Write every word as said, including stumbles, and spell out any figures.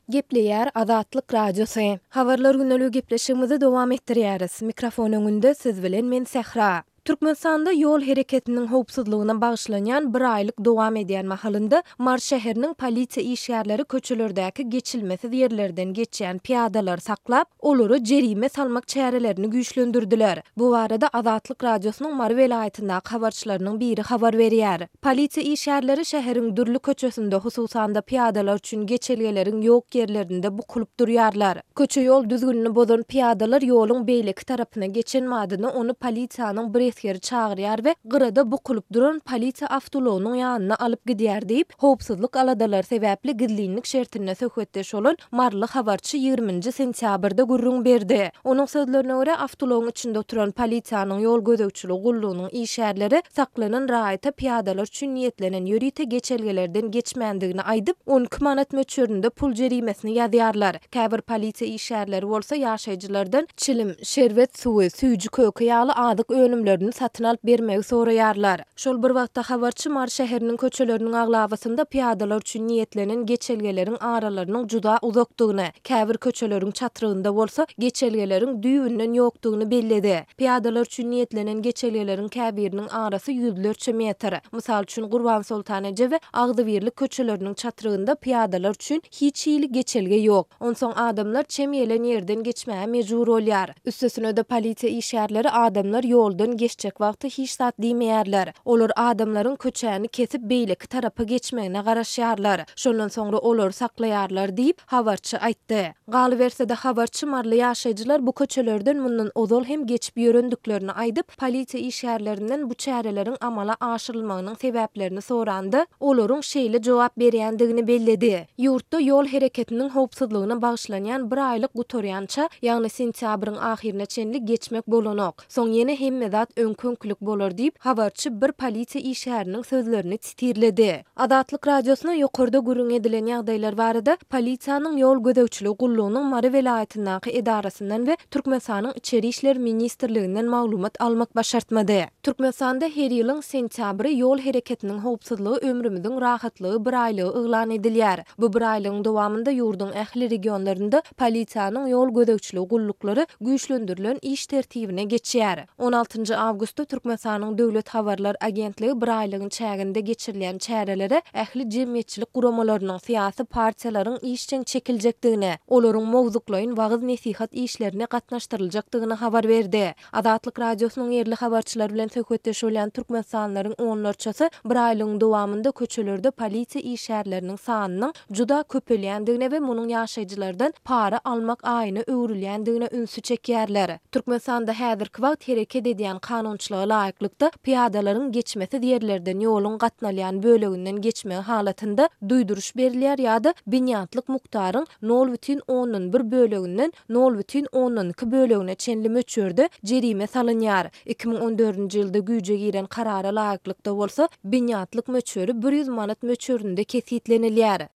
Gepleýär Azatlyk Radiosy. Habarlar gündeligi gepleşigimizi dowam etdirýäris. Mikrofon öňünde siz bilen men Sähra. Türkmenistanda ýol hereketiniň howpsuzlygyna bagyşlanýan bir aýlyk dowam edýän mahalynda Mary şäheriniň polisiýa işgärleri köçelerdäki geçilmesiz ýerlerden geçýän pyýadalary saklap, olara jerime salmak çärelerini güýçlendirdiler. Bu barada Azatlyk Radiosynyň Mary welaýatyndaky habarçylarynyň biri habar berýär. Polisiýa işgärleri şäheriň dürli köçesinde, hususan-da pyýadalar üçin geçelgeleriň ýok ýerlerinde bukulyp durýarlar. Köçe-ýol düzgünini bozan pyýadalar ýoluň beýleki tarapyna geçen badyna ony polisiýanyň bir esgeri çagyrýar we gyrada bukulyp duran polisiýa awtoulagynyň ýanyna alyp gidýär diýip, howpsuzlyk aladalary sebäpli gizlinlik şertinde söhbetdeş bolan maryly habarçy ýigriminji sentýabrda gürrüň berdi. Onuň sözlerine görä, awtoulagyň içinde oturan polisiýanyň ýol gözegçiligi gullugynyň işgärleri saklanan raýata pyýadalar üçin niýetlenen ýörite geçelgelerden geçmändigini aýdyp, on iki manat möçberinde pul jerimesini ýazýarlar. Käbir polisiýa işgärleri bolsa ýaşaýjylardan çilim, şerbet suwy, süýji-köke ýaly azyk önümlerini satyn alyp bermegi soraýarlar. Şol bir wagtda habarçy Mary şäheriniň köçeleriniň aglabasynda pyýadalar üçin niýetlenen geçelgeleriň aralarynyň juda uzakdygyny, käbir köçeleriň çatrygynda bolsa geçelgeleriň düýbünden ýokdugyny belledi. Pyýadalar üçin niýetlenen geçelgeleriň käbiriniň arasy ýüzlerçe metr. Mysal üçin, Gurbansoltan eje we Agzybirlik köçeleriniň çatrygynda pyýadalar üçin hiç hili geçelge ýok. Onsoň adamlar çem gelen ýerden geçmäge mejbur bolýar. Üstesine-de polisiýa işgärleri adamlar ýoldan geçjek wagty hiç zat diýmeýärler. Olar adamlaryň köçäni kesip beýleki tarapa geçmegine garaşýarlar. Şondan soňra olary saklaýarlar diýip, habarçy aýtdy. Galyberse-de habarçy maryly ýaşaýjylar bu köçelerden mundan ozal hem geçip ýörendiklerini aýdyp, polisiýa işgärlerinden bu çäreleriň amala aşyrylmagynyň sebäplerini soranda, olaryň şeýle jogap berýändigini belledi. Ýurtda ýol hereketiniň howpsuzlygyna bagyşlanýan bir aýlyk gutarýança, ýagny sentýabryň ahyryna çenli geçmek bolanok. Soň ýene hemme zat öňki-öňkülik bolar diýip, habarçy bir polisiýa işgäriniň sözlerini titirledi. Azatlyk Radiosyna ýokarda gürrüň edilen ýagdaýlar barada polisiýanyň ýol gözegçiligi gullugynyň Mary welaýatyndaky edarasyndan we Türkmenistanyň Içeri işler ministrliginden maglumat almak başartmady. Türkmenistanda her ýylyň sentýabry ýol hereketiniň howpsuzlygy ömrümiziň rahatlygy bir aýlygy yglan edilýär. Bu bir aýlygyň dowamynda ýurduň ähli regionlarynda polisiýanyň ýol gözegçiligi gulluklary güýçlendirilen iş tertibine geçýär. On altynjy awgustda Türkmenistanyň Döwlet habarlar agentligi bir aýlygyň çäginde geçirilýän çärelere ähli jemgyýetçilik guramalarynyň, syýasy partiýalaryň işjeň çekiljekdigini, olaryň mowzuklaýyn wagyz-nesihat işlerine gatnaşdyryljakdygyny habar berdi. Azatlyk Radiosynyň ýerli habarçylary bilen söhbetdeş bolýan türkmenistanlylaryň onlarçasy bir aýlygyň dowamynda köçelerde polisiýa işgärleriniň sanynyň juda köpelýändigine we munuň ýaşaýjylardan para almak aýyna öwrülýändigine ünsi çekýärler. Türkmenistanda häzirki wagt hereket edýän kanunçylyga laýyklykda pyýadalaryň geçmesiz ýerlerden ýoluň gatnalýan böleginden geçmegi halatynda duýduryş berilýär ýa-da binýatlyk mukdaryň nol bütin ondan bir böleginden nol bütin ondan iki bölegine çenli möçberde jerime salynýar. Iki müň on dördünji ýylda güýje giren karara laýyklykda bolsa binýatlyk möçberi bir ýüz manat möçberinde kesgitlenilýär.